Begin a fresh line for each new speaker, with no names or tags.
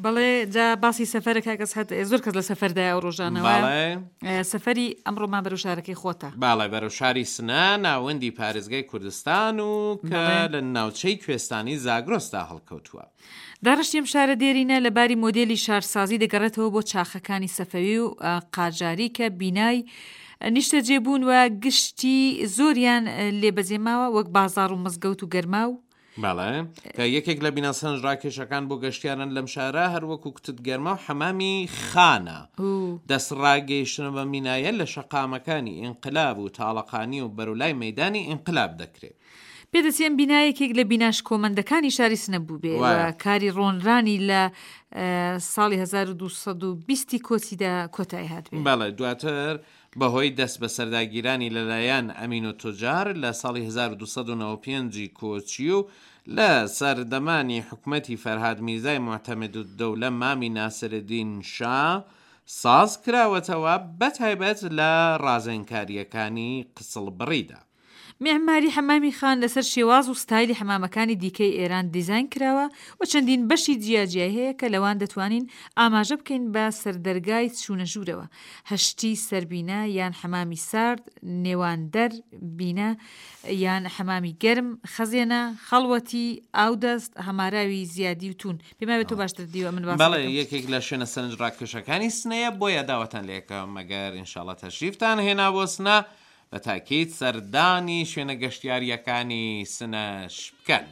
بەڵێ جا باسی سەفەرە کاک ئەسحەد زۆر کەس لە سەفەردایە ئەو ڕۆژانە وایە؟
بەڵێ.
سەفەری ئەمڕۆمان بەرەو شارەکەی خۆتە.
بەڵێ بەرەو شاری سنە ناوەندی پارێزگای کوردستان و کە
بەڵێ.
لە ناوچەی کوێستانی زاگرۆسدا هەڵکەوتووە.
داڕشتی ئەم شارە دێرینە لە باری مۆدێلی شارسازی دەگەڕێتەوە بۆ چاخەکانی سەفەوی و قاجاری کە بینای نیشتەجێبوون و گشتی زۆریان لێ بەجێماوە وەک بازاڕ و مزگەوت و گەرماو.
بەڵێ کە یەکێک لە بینا سەرنجڕاکێشەکان بۆ گەشتیاران لەم شارە هەروەکو کوتت گەرما و حەمامی خانە. دەستڕاگەیشتنە بەم بینایە لە شەقامەکانی ئینقلاب و تاڵەقانی و بەرەو لای مەیدانی ئینقلاب دەکرێ.
پێدەچێ ئەم بینا یەکێک لە بینا شکۆمەندەکانی شاری سنە بووبێ و کاری ڕۆنرانی لە ساڵی 1220 کۆچیدا کۆتایی هاتبێ.
بەڵێ دواتر بەهۆی دەستبەسەرداگیرانی لەلایەن ئەمینوتوجار لە ساڵی 1295 ی کۆچی و لە سەردەمانی حکومەتی فەرهاد میرزای موعتەمدوددەولە مامی ناسرالدین شا ساز کراوەتەوە بەتایبەت لە ڕازێنکارییەکانی قسڵبڕیدا.
میعماری حەمامی خان لەسەر شێواز و ستایلی حەمامەکانی دیکەی ئێران دیزاین کراوە و چەندین بەشی جیاجیای هەیە کە لەوان دەتوانین ئاماژە بکەین بە سەردەرگای چوونە ژوورەوە، هەشتی سەربینە یان حەمامی سارد، نێواندەر، بینە، یان حەمامی گەرم، خەزێنە، خەڵوەتی، ئاودەست، هەماراوی زیادی و توون. پێم وایە تۆ باشتر دیوە من باسی
بەڵێ
دەکەم.
یەکێک لە شوێنە سەرنجڕاکێشەکانی سنەیە بۆیە داوەتان لێکەم ئەگەر ئینشاڵا تەشریفتان هێنا بۆ سنە بە تاکید سەردانی شوێنە گەشتیارییەکانی سنەش بکەن.